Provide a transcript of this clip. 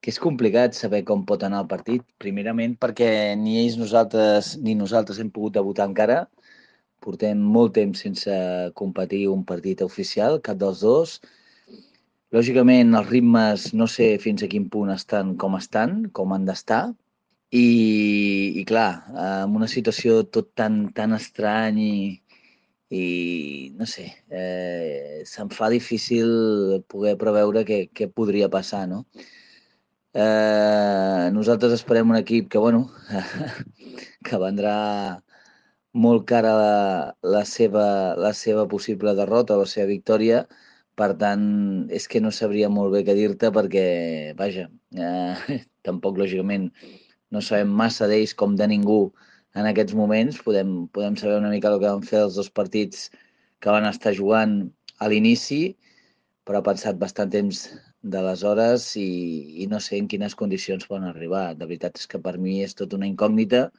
que és complicat saber com pot anar el partit, primerament perquè ni nosaltres hem pogut debutar encara. Portem molt temps sense competir un partit oficial, cap dels dos. Lògicament, els ritmes no sé fins a quin punt estan, com han d'estar. I clar, en una situació tot tan estrany i no sé, se'm fa difícil poder preveure què podria passar, no? Nosaltres esperem un equip que, bueno, que vendrà molt cara la seva possible derrota o la seva victòria. Per tant, és que no sabria molt bé què dir-te perquè, vaja, tampoc, lògicament, no sabem massa d'ells com de ningú en aquests moments. Podem saber una mica el que van fer els dos partits que van estar jugant a l'inici, però ha passat bastant temps d'aleshores i no sé en quines condicions poden arribar. De veritat és que per mi és tot una incògnita